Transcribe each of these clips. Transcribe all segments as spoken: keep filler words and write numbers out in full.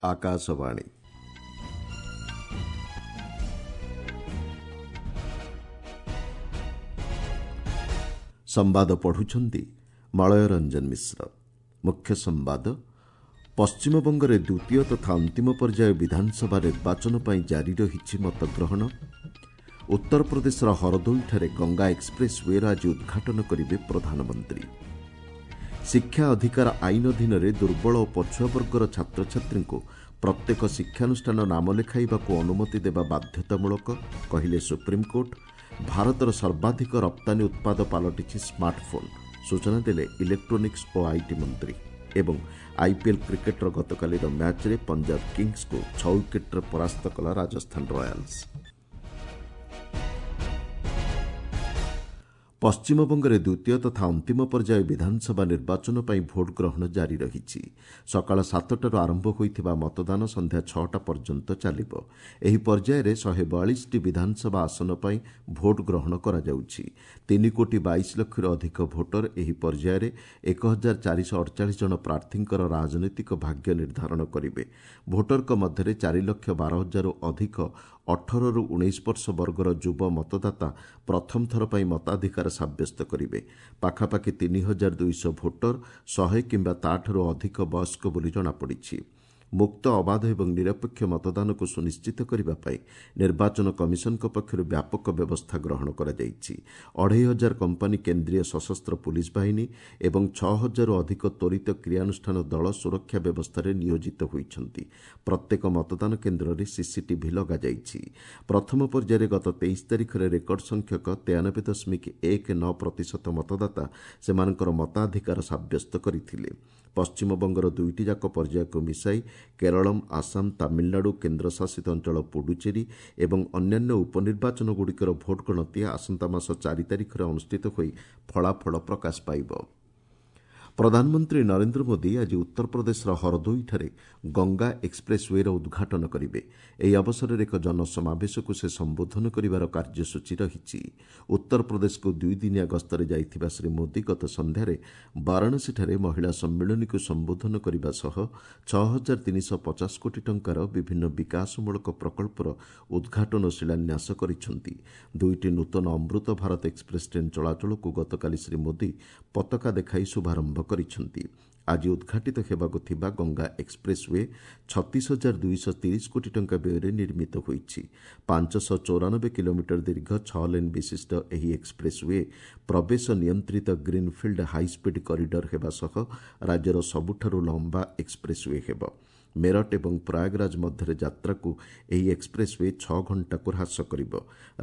ଆକାଶବାଣୀ। ସମ୍ବାଦ ପଢୁଛନ୍ତି ମଳୟ ରଞ୍ଜନ ମିଶ୍ର। ମୁଖ୍ୟ ସମ୍ବାଦ। ପଶ୍ଚିମବଙ୍ଗରେ ଦ୍ୱିତୀୟ ତଥା ଅନ୍ତିମ ପର୍ଯ୍ୟାୟ ବିଧାନସଭା ନିର୍ବାଚନ ପାଇଁ ଜାରି ରହିଛି ମତଗ୍ରହଣ। ଉତ୍ତରପ୍ରଦେଶର ହରଦୋଇଠାରେ ଗଙ୍ଗା ଏକ୍ସପ୍ରେସ୍ ୱେର ଆଜି ଉଦ୍ଘାଟନ କରିବେ ପ୍ରଧାନମନ୍ତ୍ରୀ। ଶିକ୍ଷା ଅଧିକାର ଆଇନ ଅଧୀନରେ ଦୁର୍ବଳ ଓ ପଛୁଆ ବର୍ଗର ଛାତ୍ରଛାତ୍ରୀଙ୍କୁ ପ୍ରତ୍ୟେକ ଶିକ୍ଷାନୁଷ୍ଠାନ ନାମ ଲେଖାଇବାକୁ ଅନୁମତି ଦେବା ବାଧ୍ୟତାମୂଳକ, କହିଲେ ସୁପ୍ରିମକୋର୍ଟ। ଭାରତର ସର୍ବାଧିକ ରପ୍ତାନୀ ଉତ୍ପାଦ ପାଲଟିଛି ସ୍ମାର୍ଟଫୋନ୍, ସୂଚନା ଦେଲେ ଇଲେକ୍ଟ୍ରୋନିକ୍ସ ଓ IT ମନ୍ତ୍ରୀ। ଏବଂ ଆଇପିଏଲ୍ କ୍ରିକେଟ୍ର ଗତକାଲିର ମ୍ୟାଚ୍ରେ ପଞ୍ଜାବ କିଙ୍ଗସ୍କୁ ଛଅ ୱିକେଟ୍ରେ ପରାସ୍ତ କଲା ରାଜସ୍ଥାନ ରୟାଲ୍ସ। ପଶ୍ଚିମବଙ୍ଗରେ ଦ୍ୱିତୀୟ ତଥା ଅନ୍ତିମ ପର୍ଯ୍ୟାୟ ବିଧାନସଭା ନିର୍ବାଚନ ପାଇଁ ଭୋଟ୍ ଗ୍ରହଣ ଜାରି ରହିଛି। ସକାଳ ସାତଟାରୁ ଆରମ୍ଭ ହୋଇଥିବା ମତଦାନ ସନ୍ଧ୍ୟା ଛଅଟା ପର୍ଯ୍ୟନ୍ତ ଚାଲିବ। ଏହି ପର୍ଯ୍ୟାୟରେ ଶହେ ବୟାଳିଶଟି ବିଧାନସଭା ଆସନ ପାଇଁ ଭୋଟ୍ ଗ୍ରହଣ କରାଯାଉଛି। ତିନି କୋଟି ବାଇଶ ଲକ୍ଷରୁ ଅଧିକ ଭୋଟର ଏହି ପର୍ଯ୍ୟାୟରେ ଏକ ହଜାର ଚାରିଶହ ଅଡ଼ଚାଳିଶ ଜଣ ପ୍ରାର୍ଥୀଙ୍କର ରାଜନୈତିକ ଭାଗ୍ୟ ନିର୍ଦ୍ଧାରଣ କରିବେ। ଭୋଟରଙ୍କ ମଧ୍ୟରେ ଚାରି ଲକ୍ଷ ବାର ହଜାରରୁ ଅଧିକ ଅଠରରୁ ଉଣେଇଶ ବର୍ଷ ବର୍ଗର ଯୁବ ମତଦାତା ପ୍ରଥମ ଥର ପାଇଁ ମତାଧିକାର ସାବ୍ୟସ୍ତ କରିବେ। ପାଖାପାଖି ତିନି ହଜାର ଦୁଇଶହ ଭୋଟର ଶହେ କିମ୍ବା ତାଠାରୁ ଅଧିକ ବୟସ୍କ ବୋଲି ଜଣାପଡ଼ିଛି। ମୁକ୍ତ, ଅବାଧ ଏବଂ ନିରପେକ୍ଷ ମତଦାନକୁ ସୁନିଶ୍ଚିତ କରିବା ପାଇଁ ନିର୍ବାଚନ କମିଶନଙ୍କ ପକ୍ଷରୁ ବ୍ୟାପକ ବ୍ୟବସ୍ଥା ଗ୍ରହଣ କରାଯାଇଛି। ଅଢ଼େଇ ହଜାର କମ୍ପାନୀ କେନ୍ଦ୍ରୀୟ ସଶସ୍ତ୍ର ପୁଲିସ୍ ବାହିନୀ ଏବଂ ଛଅ ହଜାରରୁ ଅଧିକ ତ୍ୱରିତ କ୍ରିୟାନୁଷ୍ଠାନ ଦଳ ସୁରକ୍ଷା ବ୍ୟବସ୍ଥାରେ ନିୟୋଜିତ ହୋଇଛନ୍ତି। ପ୍ରତ୍ୟେକ ମତଦାନ କେନ୍ଦ୍ରରେ ସିସିଟିଭି ଲଗାଯାଇଛି। ପ୍ରଥମ ପର୍ଯ୍ୟାୟରେ ଗତ ତେଇଶ ତାରିଖରେ ରେକର୍ଡ ସଂଖ୍ୟକ ତେୟାନବେ ଦଶମିକ ଏକ ନଅ ପ୍ରତିଶତ ମତଦାତା ସେମାନଙ୍କର ମତାଧିକାର ସାବ୍ୟସ୍ତ କରିଥିଲେ। ପଶ୍ଚିମବଙ୍ଗର ଦୁଇଟି ଯାକ ପର୍ଯ୍ୟାୟକୁ ମିଶାଇ କେରଳମ୍, ଆସାମ, ତାମିଲନାଡୁ, କେନ୍ଦ୍ରଶାସିତ ଅଞ୍ଚଳ ପୁଡୁଚେରୀ ଏବଂ ଅନ୍ୟାନ୍ୟ ଉପନିର୍ବାଚନଗୁଡ଼ିକର ଭୋଟ୍ ଗଣତି ଆସନ୍ତା ମାସ ଚାରି ତାରିଖରେ ଅନୁଷ୍ଠିତ ହୋଇ ଫଳାଫଳ ପ୍ରକାଶ ପାଇବ। ପ୍ରଧାନମନ୍ତ୍ରୀ ନରେନ୍ଦ୍ର ମୋଦି ଆଜି ଉତ୍ତରପ୍ରଦେଶର ହରଦୋଇଠାରେ ଗଙ୍ଗା ଏକ୍ସପ୍ରେସ୍ ୱେର ଉଦ୍ଘାଟନ କରିବେ। ଏହି ଅବସରରେ ଏକ ଜନସମାବେଶକୁ ସେ ସମ୍ବୋଧନ କରିବାର କାର୍ଯ୍ୟସୂଚୀ ରହିଛି। ଉତ୍ତରପ୍ରଦେଶକୁ ଦୁଇଦିନିଆ ଗସ୍ତରେ ଯାଇଥିବା ଶ୍ରୀ ମୋଦି ଗତ ସନ୍ଧ୍ୟାରେ ବାରାଣସୀଠାରେ ମହିଳା ସମ୍ମିଳନୀକୁ ସମ୍ବୋଧନ କରିବା ସହ ଛଅ ହଜାର ତିନିଶହ ପଚାଶ କୋଟି ଟଙ୍କାର ବିଭିନ୍ନ ବିକାଶମୂଳକ ପ୍ରକଳ୍ପର ଉଦ୍ଘାଟନ ଓ ଶିଳାନ୍ୟାସ କରିଛନ୍ତି। ଦୁଇଟି ନୂତନ ଅମୃତ ଭାରତ ଏକ୍ସପ୍ରେସ୍ ଟ୍ରେନ୍ ଚଳାଚଳକୁ ଗତକାଲି ଶ୍ରୀ ମୋଦି ପତାକା ଦେଖାଇ ଶୁଭାରମ୍ଭ କରିଛନ୍ତି। ଆଜି ଉଦ୍ଘାଟିତ ହେବାକୁ ଥିବା ଗଙ୍ଗା ଏକ୍ସପ୍ରେସ୍ ୱେ ଛତିଶ ହଜାର ଦୁଇଶହ ତିରିଶ କୋଟି ଟଙ୍କା ବ୍ୟୟରେ ନିର୍ମିତ ହୋଇଛି। ପାଞ୍ଚଶହ ଚଉରାନବେ କିଲୋମିଟର ଦୀର୍ଘ ଛଅ ଲେନ୍ ବିଶିଷ୍ଟ ଏହି ଏକ୍ସପ୍ରେସ୍ ୱେ ପ୍ରବେଶ ନିୟନ୍ତ୍ରିତ ଗ୍ରୀନ୍ଫିଲ୍ଡ ହାଇସ୍ପିଡ୍ କରିଡର ହେବା ସହ ରାଜ୍ୟର ସବୁଠାରୁ ଲମ୍ବା ଏକ୍ସପ୍ରେସ୍ ୱେ ହେବ। ମେରଠ ଏବଂ ପ୍ରୟାଗରାଜ ମଧ୍ୟରେ ଯାତ୍ରାକୁ ଏହି ଏକ୍ସପ୍ରେସ୍ ୱେ ଛଅ ଘଣ୍ଟାକୁ ହ୍ରାସ କରିବ।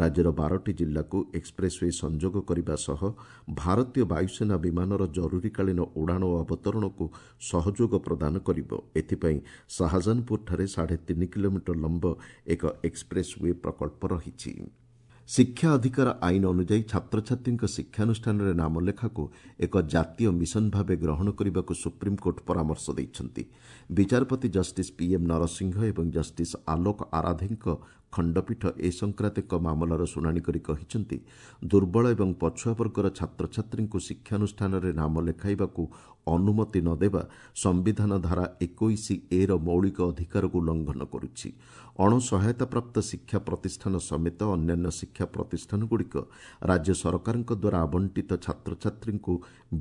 ରାଜ୍ୟର ବାରଟି ଜିଲ୍ଲାକୁ ଏକ୍ସପ୍ରେସ୍ ୱେ ସଂଯୋଗ କରିବା ସହ ଭାରତୀୟ ବାୟୁସେନା ବିମାନର ଜରୁରୀକାଳୀନ ଉଡ଼ାଣ ଓ ଅବତରଣକୁ ସହଯୋଗ ପ୍ରଦାନ କରିବ। ଏଥିପାଇଁ ଶାହଜାହାନପୁରଠାରେ ସାଢ଼େ ତିନି କିଲୋମିଟର ଲମ୍ବ ଏକ ଏକ୍ସପ୍ରେସ୍ ୱେ ପ୍ରକଳ୍ପ ରହିଛି। ଶିକ୍ଷା ଅଧିକାର ଆଇନ ଅନୁଯାୟୀ ଛାତ୍ରଛାତ୍ରୀଙ୍କ ଶିକ୍ଷାନୁଷ୍ଠାନରେ ନାମଲେଖାକୁ ଏକ ଜାତୀୟ ମିଶନ ଭାବେ ଗ୍ରହଣ କରିବାକୁ ସୁପ୍ରିମକୋର୍ଟ ପରାମର୍ଶ ଦେଇଛନ୍ତି। ବିଚାରପତି ଜଷ୍ଟିସ୍ ପିଏମ୍ ନରସିଂହ ଏବଂ ଜଷ୍ଟିସ୍ ଆଲୋକ ଆରାଧେଙ୍କ ଖଣ୍ଡପୀଠ ଏ ସଂକ୍ରାନ୍ତ ଏକ ମାମଲାର ଶୁଣାଣି କରି କହିଛନ୍ତି, ଦୁର୍ବଳ ଏବଂ ପଛୁଆ ବର୍ଗର ଛାତ୍ରଛାତ୍ରୀଙ୍କୁ ଶିକ୍ଷାନୁଷ୍ଠାନରେ ନାମ ଲେଖାଇବାକୁ ଅନୁମତି ନ ଦେବା ସମ୍ବିଧାନ ଧାରା ଏକୋଇଶ ଏର ମୌଳିକ ଅଧିକାରକୁ ଉଲ୍ଲଂଘନ କରୁଛି। ଅଣସହାୟତାପ୍ରାପ୍ତ ଶିକ୍ଷା ପ୍ରତିଷ୍ଠାନ ସମେତ ଅନ୍ୟାନ୍ୟ ଶିକ୍ଷା ପ୍ରତିଷ୍ଠାନଗୁଡ଼ିକ ରାଜ୍ୟ ସରକାରଙ୍କ ଦ୍ୱାରା ଆବଣ୍ଟିତ ଛାତ୍ରଛାତ୍ରୀଙ୍କୁ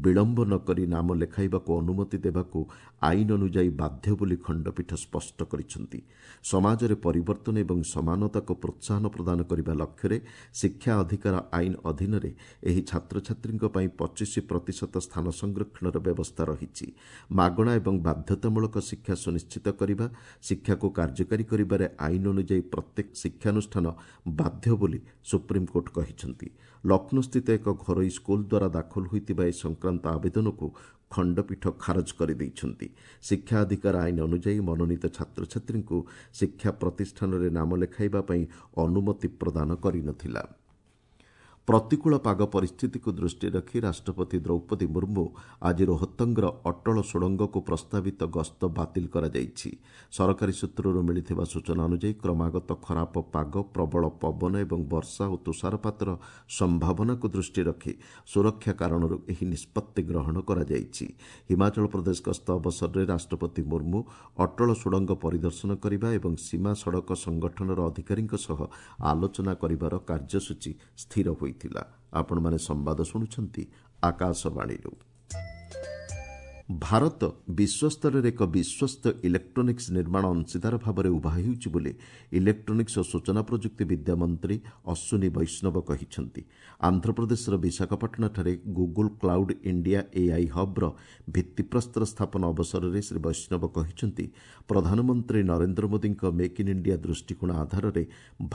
ବିଳମ୍ବ ନ କରି ନାମ ଲେଖାଇବାକୁ ଅନୁମତି ଦେବାକୁ ଆଇନ ଅନୁଯାୟୀ ବାଧ୍ୟ ବୋଲି ଖଣ୍ଡପୀଠ ସ୍ପଷ୍ଟ କରିଛନ୍ତି। ସମାଜରେ ପରିବର୍ତ୍ତନ ଏବଂ ସମାନତାକୁ ପ୍ରୋତ୍ସାହନ ପ୍ରଦାନ କରିବା ଲକ୍ଷ୍ୟରେ ଶିକ୍ଷା ଅଧିକାର ଆଇନ ଅଧୀନରେ ଏହି ଛାତ୍ରଛାତ୍ରୀଙ୍କ ପାଇଁ ପଚିଶ ପ୍ରତିଶତ ସ୍ଥାନ ସଂରକ୍ଷଣର ବ୍ୟବସ୍ଥା ରହିଛି। ମାଗଣା ଏବଂ ବାଧ୍ୟତାମୂଳକ ଶିକ୍ଷା ସୁନିଶ୍ଚିତ କରିବା, ଶିକ୍ଷାକୁ କାର୍ଯ୍ୟକାରୀ କରିବାରେ ଆଇନ ଅନୁଯାୟୀ ପ୍ରତ୍ୟେକ ଶିକ୍ଷାନୁଷ୍ଠାନ ବାଧ୍ୟ ବୋଲି ସୁପ୍ରିମକୋର୍ଟ କହିଛନ୍ତି। ଲକ୍ଷ୍ନୌସ୍ଥିତ ଏକ ଘରୋଇ ସ୍କୁଲ ଦ୍ୱାରା ଦାଖଲ ହୋଇଥିବା ଏ ସଂକ୍ରାନ୍ତ ଆବେଦନକୁ ଖଣ୍ଡପୀଠ ଖାରଜ କରିଦେଇଛନ୍ତି। ଶିକ୍ଷା ଅଧିକାର ଆଇନ ଅନୁଯାୟୀ ମନୋନୀତ ଛାତ୍ରଛାତ୍ରୀଙ୍କୁ ଶିକ୍ଷା ପ୍ରତିଷ୍ଠାନରେ ନାମ ଲେଖାଇବା ପାଇଁ ଅନୁମତି ପ୍ରଦାନ କରିନଥିଲା। ପ୍ରତିକୂଳ ପାଗ ପରିସ୍ଥିତିକୁ ଦୃଷ୍ଟିରେ ରଖି ରାଷ୍ଟ୍ରପତି ଦ୍ରୌପଦୀ ମୁର୍ମୁ ଆଜି ରୋହତଙ୍ଗର ଅଟଳ ସୁଡ଼ଙ୍ଗକୁ ପ୍ରସ୍ତାବିତ ଗସ୍ତ ବାତିଲ କରାଯାଇଛି। ସରକାରୀ ସୂତ୍ରରୁ ମିଳିଥିବା ସୂଚନା ଅନୁଯାୟୀ କ୍ରମାଗତ ଖରାପ ପାଗ, ପ୍ରବଳ ପବନ ଏବଂ ବର୍ଷା ଓ ତୁଷାରପାତର ସମ୍ଭାବନାକୁ ଦୃଷ୍ଟିରେ ରଖି ସୁରକ୍ଷା କାରଣରୁ ଏହି ନିଷ୍ପତ୍ତି ଗ୍ରହଣ କରାଯାଇଛି। ହିମାଚଳ ପ୍ରଦେଶ ଗସ୍ତ ଅବସରରେ ରାଷ୍ଟ୍ରପତି ମୁର୍ମୁ ଅଟଳ ସୁଡ଼ଙ୍ଗ ପରିଦର୍ଶନ କରିବା ଏବଂ ସୀମା ସଡ଼କ ସଂଗଠନର ଅଧିକାରୀଙ୍କ ସହ ଆଲୋଚନା କରିବାର କାର୍ଯ୍ୟସୂଚୀ ସ୍ଥିର ହୋଇଥିଲା। ଆପଣମାନେ ସମ୍ବାଦ ଶୁଣୁଛନ୍ତି ଆକାଶବାଣୀରୁ। ଭାରତ ବିଶ୍ୱସ୍ତରରେ ଏକ ବିଶ୍ୱସ୍ତ ଇଲେକ୍ଟ୍ରୋନିକ୍ସ ନିର୍ମାଣ ଅଂଶୀଦାର ଭାବରେ ଉଭା ହେଉଛି ବୋଲି ଇଲେକ୍ଟ୍ରୋନିକ୍ସ ଓ ସୂଚନା ପ୍ରଯୁକ୍ତି ବିଦ୍ୟା ମନ୍ତ୍ରୀ ଅଶ୍ୱିନୀ ବୈଷ୍ଣବ କହିଛନ୍ତି। ଆନ୍ଧ୍ରପ୍ରଦେଶର ବିଶାଖାପାଟଣାଠାରେ ଗୁଗୁଲ କ୍ଲାଉଡ୍ ଇଣ୍ଡିଆ ଏଆଇ ହବ୍ର ଭିତ୍ତିପ୍ରସ୍ତର ସ୍ଥାପନ ଅବସରରେ ଶ୍ରୀ ବୈଷ୍ଣବ କହିଛନ୍ତି, ପ୍ରଧାନମନ୍ତ୍ରୀ ନରେନ୍ଦ୍ର ମୋଦିଙ୍କ ମେକ୍ ଇନ୍ ଇଣ୍ଡିଆ ଦୃଷ୍ଟିକୋଣ ଆଧାରରେ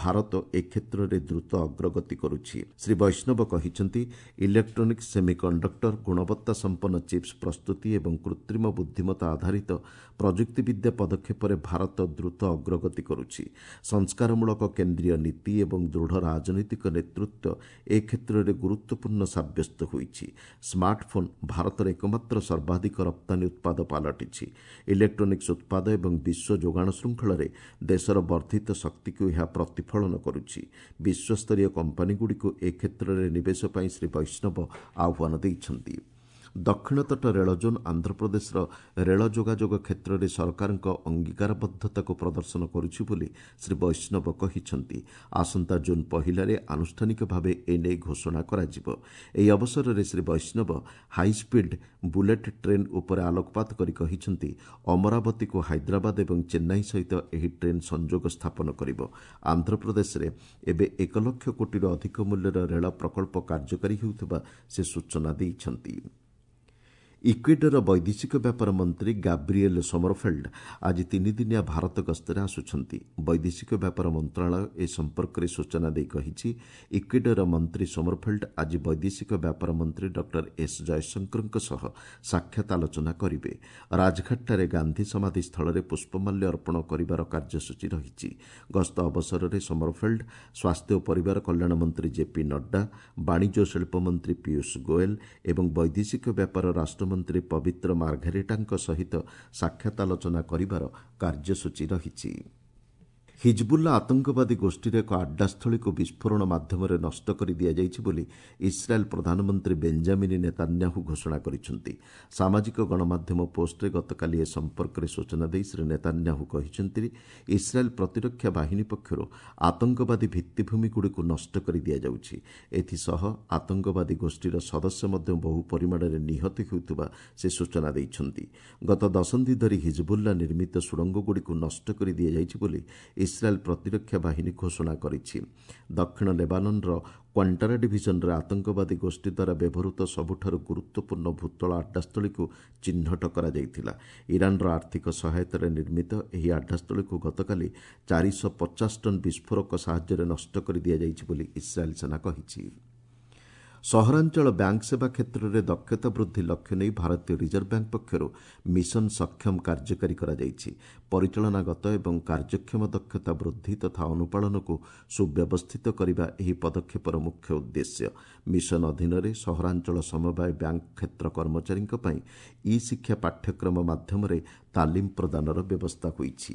ଭାରତ ଏ କ୍ଷେତ୍ରରେ ଦ୍ରୁତ ଅଗ୍ରଗତି କରୁଛି। ଶ୍ରୀ ବୈଷ୍ଣବ କହିଛନ୍ତି, ଇଲେକ୍ଟ୍ରୋନିକ୍ସ, ସେମିକଣ୍ଡକ୍ଟର, ଗୁଣବତ୍ତା ସମ୍ପନ୍ନ ଚିପ୍ସ ପ୍ରସ୍ତୁତି ଏବଂ କୃତ୍ରିମ ବୁଦ୍ଧିମତ୍ତା ଆଧାରିତ ପ୍ରଯୁକ୍ତିବିଦ୍ୟା ପଦକ୍ଷେପରେ ଭାରତ ଦ୍ରୁତ ଅଗ୍ରଗତି କରୁଛି। ସଂସ୍କାରମୂଳକ କେନ୍ଦ୍ରୀୟ ନୀତି ଏବଂ ଦୃଢ଼ ରାଜନୈତିକ ନେତୃତ୍ୱ ଏ କ୍ଷେତ୍ରରେ ଗୁରୁତ୍ୱପୂର୍ଣ୍ଣ ସାବ୍ୟସ୍ତ ହୋଇଛି। ସ୍ମାର୍ଟଫୋନ୍ ଭାରତର ଏକମାତ୍ର ସର୍ବାଧିକ ରପ୍ତାନୀ ଉତ୍ପାଦ ପାଲଟିଛି। ଇଲେକ୍ଟ୍ରୋନିକ୍ସ ଉତ୍ପାଦ ଏବଂ ବିଶ୍ୱ ଯୋଗାଣ ଶୃଙ୍ଖଳରେ ଦେଶର ବର୍ଦ୍ଧିତ ଶକ୍ତିକୁ ଏହା ପ୍ରତିଫଳନ କରୁଛି। ବିଶ୍ୱସ୍ତରୀୟ କମ୍ପାନୀଗୁଡ଼ିକୁ ଏ କ୍ଷେତ୍ରରେ ନିବେଶ ପାଇଁ ଶ୍ରୀ ବୈଷ୍ଣବ ଆହ୍ୱାନ ଦେଇଛନ୍ତି। ଦକ୍ଷିଣ ତଟ ରେଳ ଜୋନ୍ ଆନ୍ଧ୍ରପ୍ରଦେଶର ରେଳ ଯୋଗାଯୋଗ କ୍ଷେତ୍ରରେ ସରକାରଙ୍କ ଅଙ୍ଗୀକାରବଦ୍ଧତାକୁ ପ୍ରଦର୍ଶନ କରୁଛି ବୋଲି ଶ୍ରୀ ବୈଷ୍ଣବ କହିଛନ୍ତି। ଆସନ୍ତା ଜୁନ୍ ପହିଲାରେ ଆନୁଷ୍ଠାନିକ ଭାବେ ଏନେଇ ଘୋଷଣା କରାଯିବ। ଏହି ଅବସରରେ ଶ୍ରୀ ବୈଷ୍ଣବ ହାଇସ୍ପିଡ୍ ବୁଲେଟ୍ ଟ୍ରେନ୍ ଉପରେ ଆଲୋକପାତ କରି କହିଛନ୍ତି, ଅମରାବତୀକୁ ହାଇଦ୍ରାବାଦ ଏବଂ ଚେନ୍ନାଇ ସହିତ ଏହି ଟ୍ରେନ୍ ସଂଯୋଗ ସ୍ଥାପନ କରିବ। ଆନ୍ଧ୍ରପ୍ରଦେଶରେ ଏବେ ଏକ ଲକ୍ଷ କୋଟିରୁ ଅଧିକ ମୂଲ୍ୟର ରେଳ ପ୍ରକଳ୍ପ କାର୍ଯ୍ୟକାରୀ ହେଉଥିବା ସେ ସୂଚନା ଦେଇଛନ୍ତି। ଇକ୍ୱେଡରର ବୈଦେଶିକ ବ୍ୟାପାର ମନ୍ତ୍ରୀ ଗାବ୍ରିଏଲ ସୋମରଫେଲ୍ଡ ଆଜି ତିନିଦିନିଆ ଭାରତ ଗସ୍ତରେ ଆସୁଛନ୍ତି। ବୈଦେଶିକ ବ୍ୟାପାର ମନ୍ତ୍ରଣାଳୟ ଏ ସମ୍ପର୍କରେ ସୂଚନା ଦେଇ କହିଛି, ଇକ୍ୱେଡରର ମନ୍ତ୍ରୀ ସୋମରଫେଲ୍ଡ ଆଜି ବୈଦେଶିକ ବ୍ୟାପାର ମନ୍ତ୍ରୀ ଡକ୍ଟର ଏସ୍ ଜୟଶଙ୍କରଙ୍କ ସହ ସାକ୍ଷାତ ଆଲୋଚନା କରିବେ। ରାଜଘାଟଠାରେ ଗାନ୍ଧୀ ସମାଧି ସ୍ଥଳରେ ପୁଷ୍ପମାଲ୍ୟ ଅର୍ପଣ କରିବାର କାର୍ଯ୍ୟସୂଚୀ ରହିଛି। ଗସ୍ତ ଅବସରରେ ସୋମରଫେଲ୍ଡ ସ୍ୱାସ୍ଥ୍ୟ ଓ ପରିବାର କଲ୍ୟାଣ ମନ୍ତ୍ରୀ ଜେପି ନଡ୍ଡା, ବାଣିଜ୍ୟ ଓ ଶିଳ୍ପ ମନ୍ତ୍ରୀ ପୀୟୁଷ ଗୋଏଲ ଏବଂ ବୈଦେଶିକ ବ୍ୟାପାର ରାଷ୍ଟ୍ର ମନ୍ତ୍ରୀ ପବିତ୍ର ମାର୍ଘେରିଟାଙ୍କ ସହିତ ସାକ୍ଷାତ ଆଲୋଚନା କରିବାର କାର୍ଯ୍ୟସୂଚୀ ରହିଛି। ହିଜବୁଲ୍ଲା ଆତଙ୍କବାଦୀ ଗୋଷ୍ଠୀର ଏକ ଆଡ୍ଡାସ୍ଥଳୀକୁ ବିସ୍ଫୋରଣ ମାଧ୍ୟମରେ ନଷ୍ଟ କରି ଦିଆଯାଇଛି ବୋଲି ଇସ୍ରାଏଲ୍ ପ୍ରଧାନମନ୍ତ୍ରୀ ବେଞ୍ଜାମିନ୍ ନେତାନ୍ୟାହୁ ଘୋଷଣା କରିଛନ୍ତି। ସାମାଜିକ ଗଣମାଧ୍ୟମ ପୋଷ୍ଟରେ ଗତକାଲି ଏ ସମ୍ପର୍କରେ ସୂଚନା ଦେଇ ଶ୍ରୀ ନେତାନ୍ୟାହୁ କହିଛନ୍ତି, ଇସ୍ରାଏଲ୍ ପ୍ରତିରକ୍ଷା ବାହିନୀ ପକ୍ଷରୁ ଆତଙ୍କବାଦୀ ଭିତ୍ତିଭୂମିଗୁଡ଼ିକୁ ନଷ୍ଟ କରି ଦିଆଯାଉଛି। ଏଥିସହ ଆତଙ୍କବାଦୀ ଗୋଷ୍ଠୀର ସଦସ୍ୟ ମଧ୍ୟ ବହୁ ପରିମାଣରେ ନିହତ ହେଉଥିବା ସେ ସୂଚନା ଦେଇଛନ୍ତି। ଗତ ଦଶନ୍ଧି ଧରି ହିଜବୁଲ୍ଲା ନିର୍ମିତ ସୁଡ଼ଙ୍ଗଗୁଡ଼ିକୁ ନଷ୍ଟ କରି ଦିଆଯାଇଛି ବୋଲି ଇସ୍ରାଏଲ୍ ପ୍ରତିରକ୍ଷା ବାହିନୀ ଘୋଷଣା କରିଛି। ଦକ୍ଷିଣ ଲେବାନନ୍ର କ୍ୱାଣ୍ଟାରା ଡିଭିଜନରେ ଆତଙ୍କବାଦୀ ଗୋଷ୍ଠୀ ଦ୍ୱାରା ବ୍ୟବହୃତ ସବୁଠାରୁ ଗୁରୁତ୍ୱପୂର୍ଣ୍ଣ ଭୂତଳ ଆଡ୍ଡାସ୍ଥଳୀକୁ ଚିହ୍ନଟ କରାଯାଇଥିଲା। ଇରାନର ଆର୍ଥିକ ସହାୟତାରେ ନିର୍ମିତ ଏହି ଆଡ୍ଡାସ୍ଥଳୀକୁ ଗତକାଲି ଚାରିଶହ ପଚାଶ ଟନ୍ ବିସ୍ଫୋରକ ସାହାଯ୍ୟରେ ନଷ୍ଟ କରି ଦିଆଯାଇଛି ବୋଲି ଇସ୍ରାଏଲ୍ ସେନା କହିଛି। ସହରାଞ୍ଚଳ ବ୍ୟାଙ୍କ ସେବା କ୍ଷେତ୍ରରେ ଦକ୍ଷତା ବୃଦ୍ଧି ଲକ୍ଷ୍ୟ ନେଇ ଭାରତୀୟ ରିଜର୍ଭ ବ୍ୟାଙ୍କ ପକ୍ଷରୁ ମିଶନ ସକ୍ଷମ କାର୍ଯ୍ୟକାରୀ କରାଯାଇଛି। ପରିଚାଳନାଗତ ଏବଂ କାର୍ଯ୍ୟକ୍ଷମ ଦକ୍ଷତା ବୃଦ୍ଧି ତଥା ଅନୁପାଳନକୁ ସୁବ୍ୟବସ୍ଥିତ କରିବା ଏହି ପଦକ୍ଷେପର ମୁଖ୍ୟ ଉଦ୍ଦେଶ୍ୟ। ମିଶନ ଅଧୀନରେ ସହରାଞ୍ଚଳ ସମବାୟ ବ୍ୟାଙ୍କ କ୍ଷେତ୍ର କର୍ମଚାରୀଙ୍କ ପାଇଁ ଇ ଶିକ୍ଷା ପାଠ୍ୟକ୍ରମ ମାଧ୍ୟମରେ ତାଲିମ ପ୍ରଦାନର ବ୍ୟବସ୍ଥା ହୋଇଛି।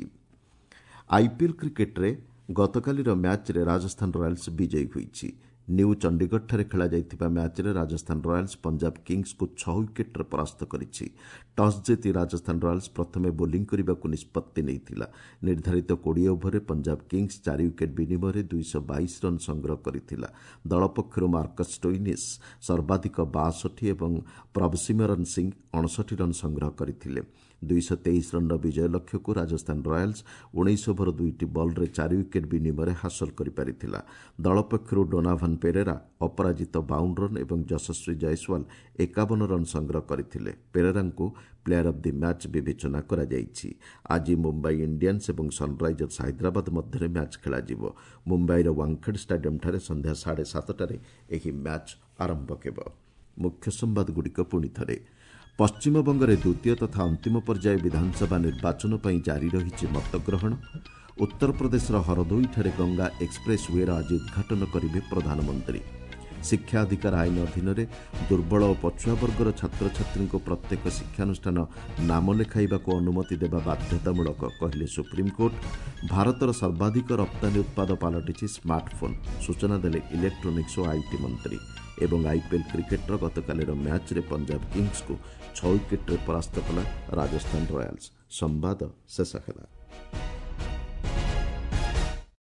ଆଇପିଏଲ୍ କ୍ରିକେଟ୍ରେ ଗତକାଲିର ମ୍ୟାଚ୍ରେ ରାଜସ୍ଥାନ ରୟାଲ୍ସ ବିଜୟୀ ହୋଇଛି। ନ୍ୟୁ ଚଣ୍ଡିଗଡ଼ଠାରେ ଖେଳାଯାଇଥିବା ମ୍ୟାଚ୍ରେ ରାଜସ୍ଥାନ ରୟାଲ୍ସ ପଞ୍ଜାବ କିଙ୍ଗସ୍କୁ ଛଅ ୱିକେଟ୍ରେ ପରାସ୍ତ କରିଛି। ଟସ୍ ଜିତି ରାଜସ୍ଥାନ ରୟାଲ୍ସ ପ୍ରଥମେ ବୋଲିଂ କରିବାକୁ ନିଷ୍ପତ୍ତି ନେଇଥିଲା। ନିର୍ଦ୍ଧାରିତ କୋଡ଼ିଏ ଓଭରରେ ପଞ୍ଜାବ କିଙ୍ଗସ୍ ଚାରି ୱିକେଟ୍ ବିନିମୟରେ ଦୁଇଶହ ବାଇଶ ରନ୍ ସଂଗ୍ରହ କରିଥିଲା। ଦଳ ପକ୍ଷରୁ ମାର୍କସ୍ ଷ୍ଟୋଇନିସ୍ ସର୍ବାଧିକ ବାଷଠି ଏବଂ ପ୍ରଭସିମରନ୍ ସିଂ ଅଣଷଠି ରନ୍ ସଂଗ୍ରହ କରିଥିଲେ। ଦୁଇଶହ ତେଇଶ ରନ୍ର ବିଜୟ ଲକ୍ଷ୍ୟକୁ ରାଜସ୍ଥାନ ରୟାଲ୍ସ ଉଣେଇଶ ଓଭର ଦୁଇଟି ବଲ୍ରେ ଚାରି ୱିକେଟ୍ ବିନିମୟରେ ହାସଲ କରିପାରିଥିଲା। ଦଳ ପକ୍ଷରୁ ଡୋନାଭାନ୍ ପେରେରା ଅପରାଜିତ ବାଉନ ରନ୍ ଏବଂ ଯଶସ୍ୱୀ ଜୟସ୍ୱାଲ ଏକାବନ ରନ୍ ସଂଗ୍ରହ କରିଥିଲେ। ପେରେରାଙ୍କୁ ପ୍ଲେୟାର ଅଫ୍ the match ବିବେଚନା କରାଯାଇଛି। ଆଜି ମୁମ୍ବାଇ ଇଣ୍ଡିଆନ୍ସ ଏବଂ ସନ୍ରାଇଜର୍ସ ହାଇଦ୍ରାବାଦ ମଧ୍ୟରେ ମ୍ୟାଚ୍ ଖେଳାଯିବ। ମୁମ୍ବାଇର ୱାଙ୍ଗଖେଡ୍ ଷ୍ଟାଡିୟମ୍ଠାରେ ସନ୍ଧ୍ୟା ସାଢ଼େ ସାତଟାରେ ଏହି ମ୍ୟାଚ୍ ଆରମ୍ଭ ହେବ। ମୁଖ୍ୟ ସମ୍ବାଦଗୁଡ଼ିକ ପୁଣି ଥରେ। ପଶ୍ଚିମବଙ୍ଗରେ ଦ୍ୱିତୀୟ ତଥା ଅନ୍ତିମ ପର୍ଯ୍ୟାୟ ବିଧାନସଭା ନିର୍ବାଚନ ପାଇଁ ଜାରି ରହିଛି ମତଗ୍ରହଣ। ଉତ୍ତରପ୍ରଦେଶର ହରଦୋଇଠାରେ ଗଙ୍ଗା ଏକ୍ସପ୍ରେସ୍ ୱେର ଆଜି ଉଦ୍ଘାଟନ କରିବେ ପ୍ରଧାନମନ୍ତ୍ରୀ। ଶିକ୍ଷା ଅଧିକାର ଆଇନ ଅଧୀନରେ ଦୁର୍ବଳ ଓ ପଛୁଆ ବର୍ଗର ଛାତ୍ରଛାତ୍ରୀଙ୍କୁ ପ୍ରତ୍ୟେକ ଶିକ୍ଷାନୁଷ୍ଠାନ ନାମ ଲେଖାଇବାକୁ ଅନୁମତି ଦେବା ବାଧ୍ୟତାମୂଳକ, କହିଲେ ସୁପ୍ରିମକୋର୍ଟ। ଭାରତର ସର୍ବାଧିକ ରପ୍ତାନୀ ଉତ୍ପାଦ ପାଲଟିଛି ସ୍ମାର୍ଟଫୋନ୍, ସୂଚନା ଦେଲେ ଇଲେକ୍ଟ୍ରୋନିକ୍ସ ଓ IT ମନ୍ତ୍ରୀ। ଏବଂ ଆଇପିଏଲ୍ କ୍ରିକେଟ୍ର ଗତକାଲିର ମ୍ୟାଚ୍ରେ ପଞ୍ଜାବ କିଙ୍ଗସ୍କୁ ଛଅ ୱିକେଟ୍ରେ ପରାସ୍ତ କଲା ରାଜସ୍ଥାନ ରୟାଲ୍ସ। ସମ୍ବାଦ ଶେଷ ହେଲା।